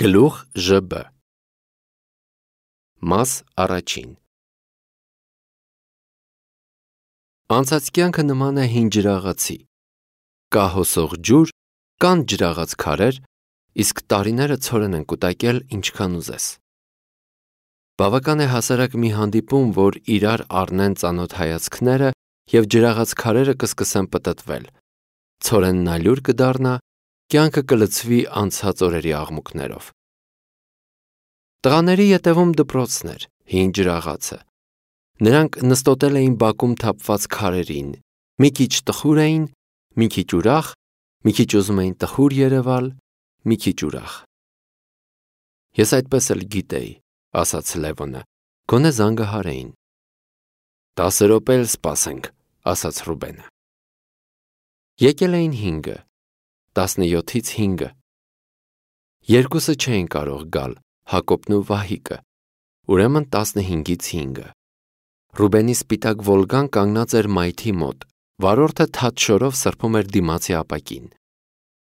Գլուխ ԺԲ Մաս առաջին Անցած կյանքը նման է հին ջրաղացի, կա հոսող ջուր, կան ջրաղաց քարեր, իսկ տարիները ցորեն են կուտակել ինչքան ուզես։ Բավական է հասարակ մի հանդիպում, որ իրար առնեն ծանոթ հայացքները և ջրաղաց քարերը կսկսեն պտտվել, ցորենն ալյուր կդառնա, կյանքը կլցվի անցած օրերի աղմուկներով։ Տղաների ետևում դպրոցն էր, հին ջրաղացը։ Նրանք նստոտել էին բակում թափված քարերին, մի քիչ տխուր էին, մի քիչ ուրախ, մի քիչ ուզում էին տխուր երևալ, մի քիչ ուրախ։ Ես այդպես էլ գիտեի, ասաց Լևոնը, գոնե զանգահարեին։ 10 րոպե էլ սպասենք, ասաց Ռուբենը։ Եկել էին 5-ը, 17-ից 5-ը։ Երկուսը չէին կարող գալ, Հակոբն ու Վահիկը, ուրեմն 15-ից 5-ը։ Ռուբենի սպիտակ Վոլգան կանգնած էր մայթի մոտ, վարորդը թաց շորով սրբում էր դիմացի ապակին։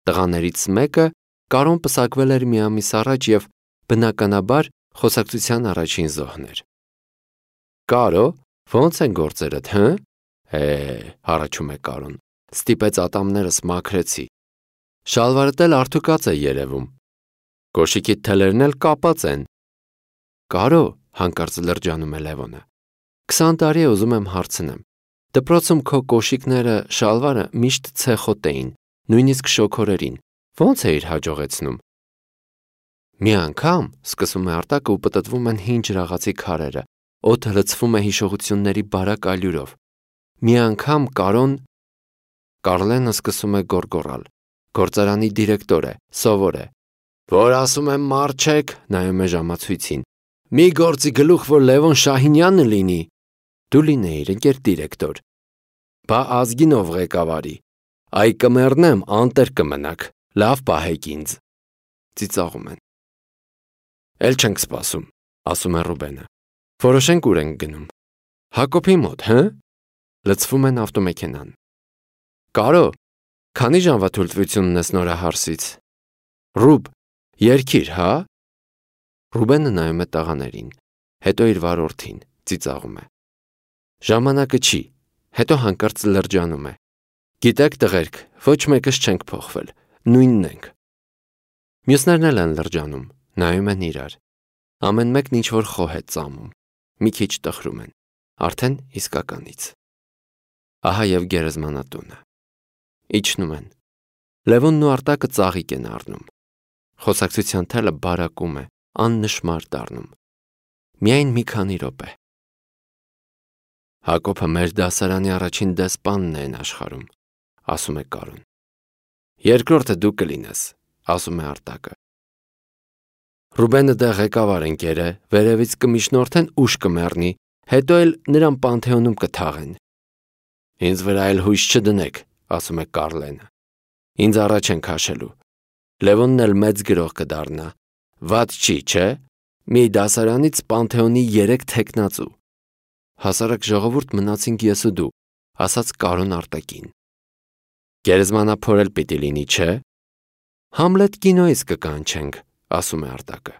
Տղաներից մեկը Կարոն պսակվել էր մի ամիս առաջ և, բնականաբար, խոսակցության առաջին զոհն էր։ Կարո, ո՞նց են գործերդ, հը՞։ Հառաչում է Կարոն, ստիպեց ատամներս մաքրեցի։ Շալվարդ էլ արթուկած է երևում։ Կոշիկիդ թելերն էլ կապած են։ Կարո, հանկարծ լրջանում է Լևոնը, 20 տարի է ուզում եմ հարցնեմ, դպրոցում քո կոշիկները, շալվարը միշտ ցեխոտ էին, նույնիսկ շոգորերին, ո՞նց էիր հաջողեցնում։ Մի անգամ, սկսում է Արտակը ու պտտվում են հին ջրաղացի քարերը, օդը լցվում է հիշողությունների բարակ ալյուրով։ Մի անգամ Կարլենը սկսում է գոռգոռալ, գործարանի դիրեկտոր է, սովոր է։ Որ ասում եմ մարչեք, նայում է ժամացույցին, մի գործի գլուխ, որ Լևոն Շահինյանը լինի։ Դու լինեիր, ընկեր դիրեկտոր։ Բա Ազգինով ղեկավարի։ Այ կմեռնեմ, անտեր կմնաք, լավ պահեք ինձ։ Ծիծաղում են։ Էլ չենք սպասում, ասում է Ռուբենը։ Որոշենք ուր ենք գնում։ Հակոբի մոտ, հը։ Լցվում են ավտոմեքենան։ Կարո, քանի ժամվա թույլտվություն ունես նորահարսից։ Ռուբ, երգիր, հա։ Ռուբենը նայում է տղաներին, հետո իր վարորդին, ծիծաղում է։ Ժամանակը չի, հետո հանկարծ լրջանում է։ Գիտեք տղերք, ոչ մեկս չենք փոխվել, նույնն ենք։ Մյուսներն էլ են լրջանում, նայում են իրար։ Ամեն մեկն ինչ-որ խոհ է ծամում, մի քիչ տխրում են, արդեն իսկականից։ Ահա և գերեզմանատունը։ Իջնում են։ Լևոնն ու Արտակը ծաղիկ են առնում։ Խոսակցության թելը բարակում է, աննշմար դառնում։ Միայն մի քանի րոպե։ Հակոբը մեր դասարանի առաջին դեսպանն է աշխարհում, ասում է Կարոն։ Երկրորդը դու կլինես, ասում է Արտակը։ Ռուբենը դե ղեկավար ընկեր է, վերևից կմիջնորդեն ուշ կմեռնի, հետո էլ նրան Պանթեոնում կթաղեն։ Ինձ վրա էլ հույս չդնեք, ասում է Կարլենը։ Ինձ առաջ են քաշելու։ Լևոնն էլ մեծ գրող կդառնա։ Վատ չի, չէ։ Մի դասարանից Պանթեոնի 3 թեկնածու։ Հասարակ ժողովուրդ մնացինք ես ու դու, ասաց Կարոն Արտակին։ Գերեզմանափոր էլ պիտի լինի, չէ։ Համլետ կինոից կկանչենք, ասում է Արտակը։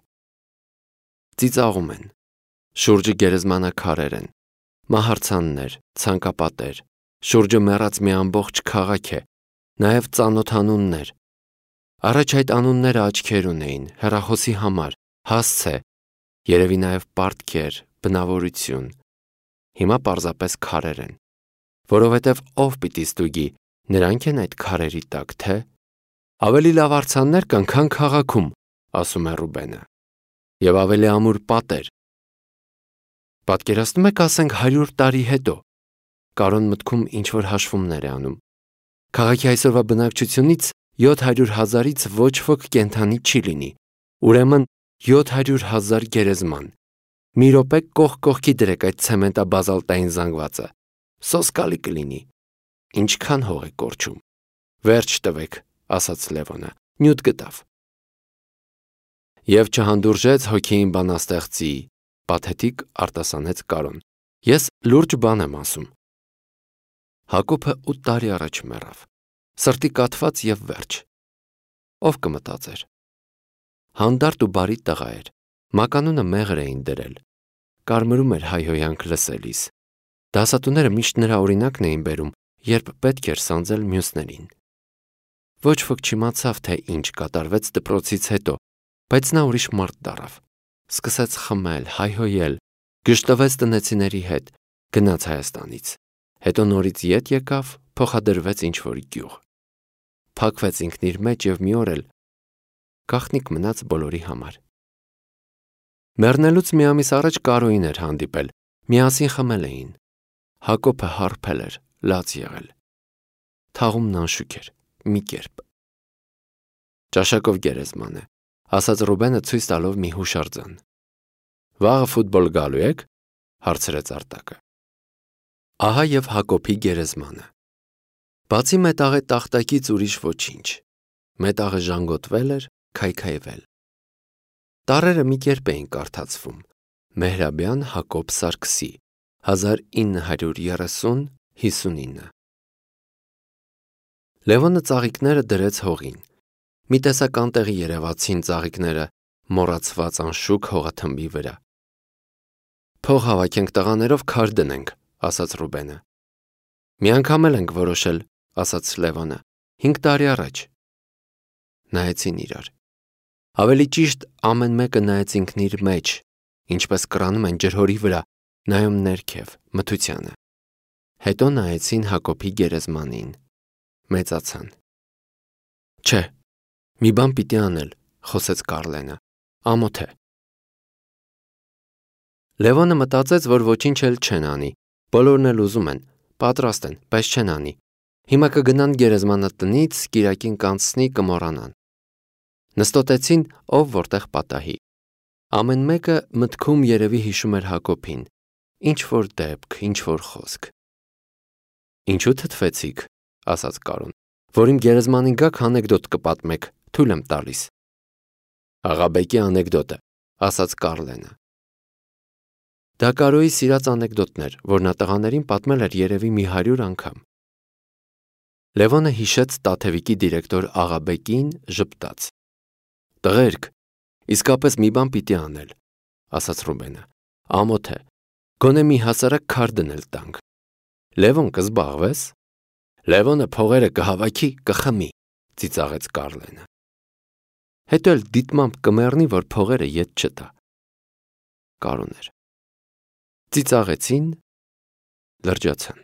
Ծիծաղում են։ Շուրջը գերեզմանաքարեր են, մահարձաններ, ցանկապատեր, շուրջը մեռած մի ամբողջ քաղաք է, նաև ծանոթ անուններ։ Առաջ այդ անունները աչքեր ունեին, հեռախոսի համար, հասցե, երևի նաև պարտքեր, բնավորություն։ Հիմա պարզապես քարեր են, որովհետև ով պիտի ստուգի, նրանք են այդ քարերի տակ, թե։ Ավելի լավ արձաններ կան, քան քաղաքում, ասում է Ռուբենը, և ավելի ամուր պատեր։ Պատկերացնում եք, ասենք 100 տարի հետո։ Կարոն մտքում ինչ-որ հաշվումներ է անում։ Քաղաքի այսօրվա բնակչությունից 700,000-ից ոչ ոք կենդանի չի լինի, ուրեմն 700,000 գերեզման։ Մի րոպե կողք կողքի դրեք այդ ցեմենտաբազալտային զանգվածը, սոսկալի կլինի։ Ինչքան հող է կորչում։ Վերջ տվեք, ասաց Լևոնը, նյութ գտավ։ Եվ չհանդուրժեց հոգին բանաստեղծի, պաթետիկ արտասանեց Կարոն։ Ես լուրջ բան եմ ասում։ Հակոբը 8 տարի առաջ մեռավ, սրտի կաթված և վերջ։ Ով կմտածեր։ Հանդարտ ու բարի տղա էր, մականունը մեղր էին դրել, կարմրում էր հայհոյանք լսելիս, դասատուները միշտ նրա օրինակն էին բերում, երբ պետք էր սանձել մյուսներին։ Ոչ ոք չիմացավ, թե ինչ կատարվեց դպրոցից հետո, բայց նա ուրիշ մարդ դառավ, սկսեց խմել, հայհոյել, գժտվեց տնեցիների հետ, գնաց Հայաստանից, հետո նորից ետ եկավ, փոխադրվեց ինչ-որ գյուղ, փակվեց ինքն իր մեջ և մի օր էլ գաղտնիք մնաց բոլորի համար։ Մեռնելուց մի ամիս առաջ Կարոյին էր հանդիպել, միասին խմել էին, Հակոբը հարբել էր, լաց եղել, թաղումն անշուք էր, մի կերպ։ Ճաշակով գերեզման է, ասաց Ռուբենը ցույց տալով մի հուշարձան։ Վաղը ֆուտբոլ գալու եք, հարցրեց Արտակը։ Ահա և Հակոբի գերեզմանը։ Բացի մետաղե տախտակից ուրիշ ոչինչ, մետաղը ժանգոտվել էր, քայքայվել։ Տառերը մի կերպ էին կարդացվում. Մեհրաբյան Հակոբ Սարգսի 1930-59։ Լևոնը ծաղիկները դրեց հողին։ Մի տեսակ անտեղի երևացին ծաղիկները մոռացված անշուք հողաթմբի վրա։ Փող հավաքենք տղաներով քար դնենք, ասաց Ռուբենը։ Մի անգամ էլ ենք որոշել, ասաց Լևոնը, 5 տարի առաջ։ Նայեցին իրար։ Ավելի ճիշտ ամեն մեկը նայեց ինքն իր մեջ, ինչպես կռանում են ջրհորի վրա, նայում ներքև, մթությանը։ Հետո նայեցին Հակոբի գերեզմանին, մեծացան։ Չէ, մի բան պիտի անել, խոսեց Կարլենը, ամոթ է։ Լևոնը մտածեց, որ ոչինչ էլ չեն անի, բոլորն էլ ուզում են, պատրաստ են, բայց չեն անի։ Հիմա կգնան գերեզմանատնից, կիրակին կանցնի, կմոռանան։ Նստոտեցին, ով որտեղ պատահի։ Ամեն մեկը մտքում երևի հիշում էր Հակոբին, ինչ-որ դեպք, ինչ-որ խոսք։ Ինչու թթվեցիք, ասաց Կարոն, որ իմ գերեզմանին գաք անեկդոտ կպատմեք, թույլ եմ տալիս։ Աղաբեկի անեկդոտ է, ասաց Կարլենը։ Դա Կարոյի սիրած անեկդոտն էր, որ նա տղաներին պատմել էր երևի մի 100 անգամ։ Լևոնը հիշեց Տաթևիկի դիրեկտոր Աղաբեկին, ժպտաց։ Տղերք, իսկապես մի բան պիտի անել, ասաց Ռուբենը, ամոթ է, գոնե մի հասարակ քար դնել տանք։ Լևոն կզբաղվես։ Լևոնը փողերը կհավաքի, կխմի, ծիծաղեց Կարլենը։ Հետո էլ դիտմամբ կմեռնի, որ փողերը ետ չտա։ Կարոն էր։ Ծիծաղեցին, լրջացան։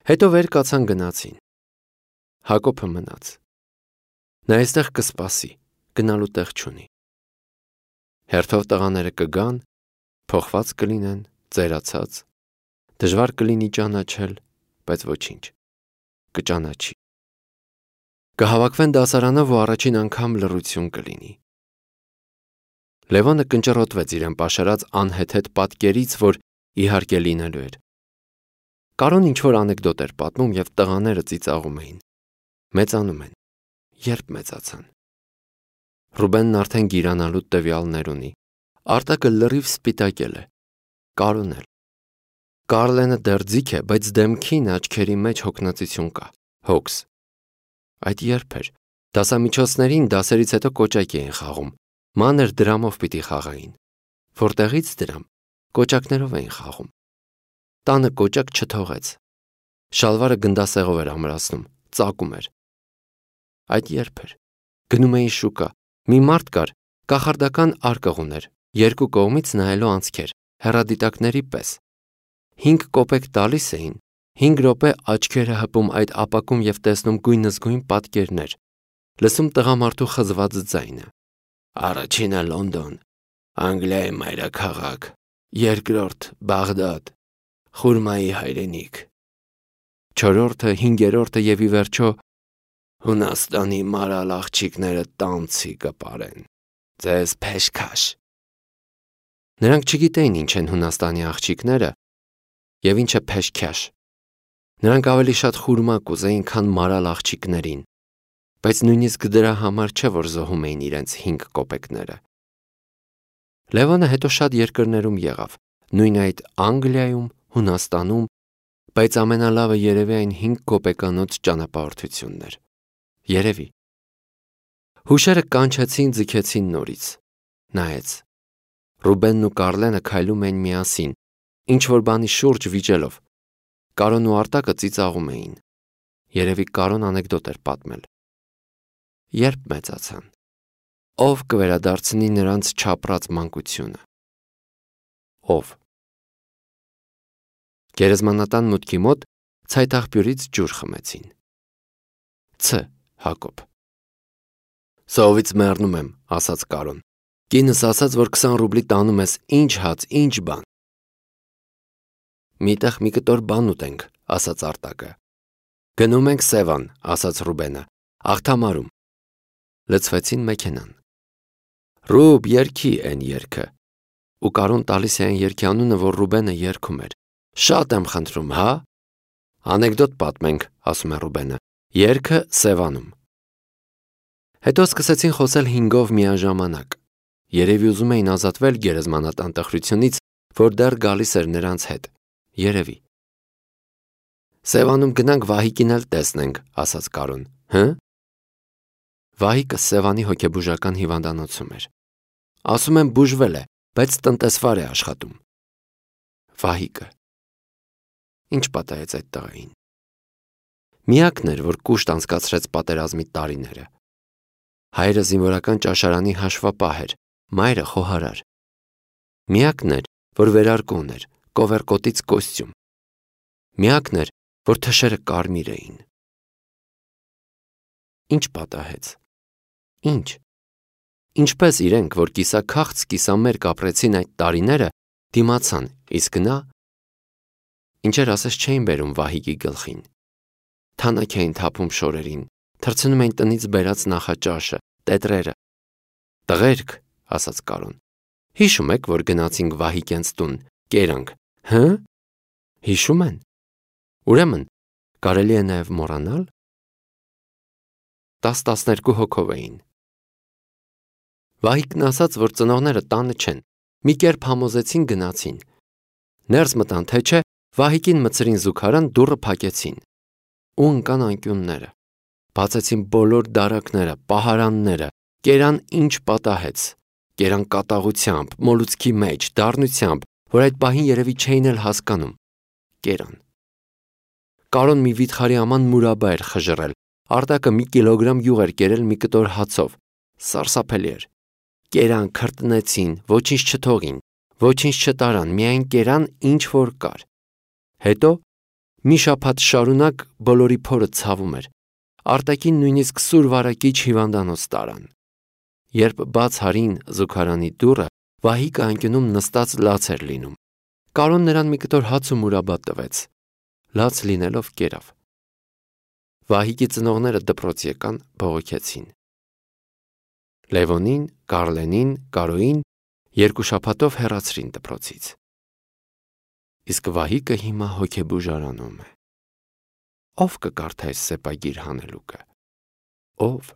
Հետո վեր կացան գնացին։ Հակոբը մնաց։ Նա այստեղ կսպասի, գնալու տեղ չունի։ Հերթով տղաները կգան, փոխված կլինեն, ծերացած, դժվար կլինի ճանաչել, բայց ոչինչ, կճանաչի։ Կհավաքվեն դասարանով ու առաջին անգամ լռություն կլինի։ Լևոնը կնճռոտվեց իրեն պաշարած անհեթեթ պատկերից, որ իհարկե լինելու էր։ Կարոն ինչ-որ անեկդոտ էր պատմում և տղաները ծիծաղում էին։ Մեծանում են, երբ մեծացան։ Ռուբենն արդեն գիրանալու տվյալներ ունի։ Արտակը լրիվ սպիտակել է։ Կարոն էլ։ Կարլենը դեռ ձիգ է, բայց դեմքին, աչքերի մեջ հոգնածություն կա, հոգս։ Այդ երբ էր։ Դասամիջոցներին դասերից հետո կոճակ էին խաղում։ Մանր դրամով պիտի խաղային։ Որտեղից դրամ, կոճակներով էին խաղում։ Տանը կոճակ չթողեց։ Շալվարը գնդասեղով էր ամրացնում, ծակում էր։ Այդ երբ էր։ Գնում էին շուկա։ Մի մարդ կար, կախարդական արկղ ուներ, երկու կողմից նայելու անցքեր, հեռադիտակների պես։ 5 կոպեկ տալիս էին, 5 րոպե աչքերը հպում այդ ապակում և տեսնում գույնզգույն պատկերներ, լսում տղամարդու խզված ձայնը։ Առաջինը Լոնդոն, Անգլիայի մայրաքաղաք, երկրորդ Բաղդադ, Խուրմայի հայրենիք, 4-րդը, 5-րդը և ի վերջո Հունաստանի մարալ աղջիկները տանցի կպարեն, ձեզ փեշքաշ։ Նրանք չգիտեին ինչ են Հունաստանի աղջիկները և ինչ է փեշքաշ։ Նրանք ավելի շատ խուրմա կուզեին, քան մարալ աղջիկներին, բայց նույնիսկ դրա համար չէ, որ զոհում էին իրենց 5 կոպեկները։ Լևոնը հետո շատ երկրներում եղավ, նույն այդ Անգլիայում, Հունաստանում, բայց ամենալավը երևի այն 5 կոպեկանոց ճանապարհորդությունն էր։ Երևի։ Հուշերը կանչեցին, ձգեցին նորից։ Նայեց։ Ռուբենն ու Կարլենը քայլում էին միասին, ինչ-որ բանի շուրջ վիճելով։ Կարոն ու Արտակը ծիծաղում էին։ Երևի Կարոն անեկդոտ էր պատմել։ Երբ մեծացան, ով կվերադարձնի նրանց չապրած մանկությունը։ Ով։ Գերեզմանատան մուտքի մոտ ցայտաղբյուրից ջուր խմեցին։ Հակոբ։ Սովից մեռնում եմ, ասաց Կարոն։ Կինս ասաց, որ 20 ռուբլի տանում ես, ինչ հաց, ինչ բան։ Միտեղ մի կտոր բան ուտենք, ասաց Արտակը։ Գնում ենք Սևան, ասաց Ռուբենը, աղթամարում։ Լցվեցին մեքենան։ Ռուբ, երգի են երգը։ Ու Կարոն տալիս է այն երգի անունը, որ Ռուբենը երգում էր։ Շատ եմ խնդրում, հա։ Անեկդոտ պատմենք, ասում է Ռուբենը։ Երգը Սևանում։ Հետո սկսեցին խոսել 5-ով միաժամանակ։ Երևի ուզում էին ազատվել գերեզմանատան տխրությունից, որ դեռ գալիս էր նրանց հետ։ Երևի։ Սևանում գնանք Վահիկին էլ տեսնենք, ասաց Կարոն։ Հը։ Վահիկը Սևանի հոգեբուժական հիվանդանոցում էր։ Ասում են բուժվել է, բայց տնտեսվար է աշխատում։ Վահիկը։ Ինչ պատահեց այդ տղային։ Միակն էր, որ կուշտ անցկացրեց պատերազմի տարիները։ Հայրը զինվորական ճաշարանի հաշվապահ էր, մայրը խոհարար։ Միակն էր, որ վերարկուն էր, կովերկոտից կոստյում։ Միակն էր, որ թշերը կարմիր էին։ Ինչ պատահեց։ Ինչ։ Ինչպես իրենք, որ կիսաքաղց կիսամերկ ապրեցին այդ տարիները, դիմացան, իսկ նա ինչեր ասես չէին բերում Վահիկի գլխին։ Թանաք էին թափում շորերին, թռցնում էին տնից բերած նախաճաշը, տետրերը։ Տղերք, ասաց Կարոն, հիշում եք, որ գնացինք Վահիկենց տուն, կերանք, հը։ Հիշում են։ Ուրեմն, կարելի է նաև մոռանալ։ 10-12 հոգով էին։ Վահիկն ասաց, որ ծնողները տանը չեն, մի կերպ համոզեցին գնացին։ Ներս մտան, թե չէ, Վահիկին մցրին զուգարան, դուռը փակեցին։ Ու ընկան անկյունները, բացեցին բոլոր դարակները, պահարանները, կերան ինչ պատահեց, կերան կատաղությամբ, մոլուցքի մեջ, դառնությամբ, որ այդ պահին երևի չէին էլ հասկանում, կերան։ Կարոն մի վիթխարի աման մուրաբա էր խժռել, Արտակը մի կիլոգրամ յուղ էր կերել մի կտոր հացով, սարսափելի էր։ Կերան, քրտնեցին, ոչինչ չթողին, ոչինչ չտարան, միայն կերան, ինչ որ կար։ Հետո մի շաբաթ շարունակ բոլորի փորը ցավում էր։ Արտակին նույնիսկ սուր վարակիչ հիվանդանոց տարան։ Երբ բաց հարին զուգարանի դուռը, Վահիկը անկյունում նստած լաց էր լինում։ Կարոն նրան մի կտոր հաց ու մուրաբա տվեց։ Լաց լինելով կերավ։ Վահիկի ծնողները դպրոց եկան, բողոքեցին։ Լևոնին, Կարլենին, Կարոին 2 շաբաթով հեռացրին դպրոցից։ Իսկ Վահիկը հիմա հոգեբուժարանում է։ Ով կկարդա այս սեպագիր հանելուկը։ Ով։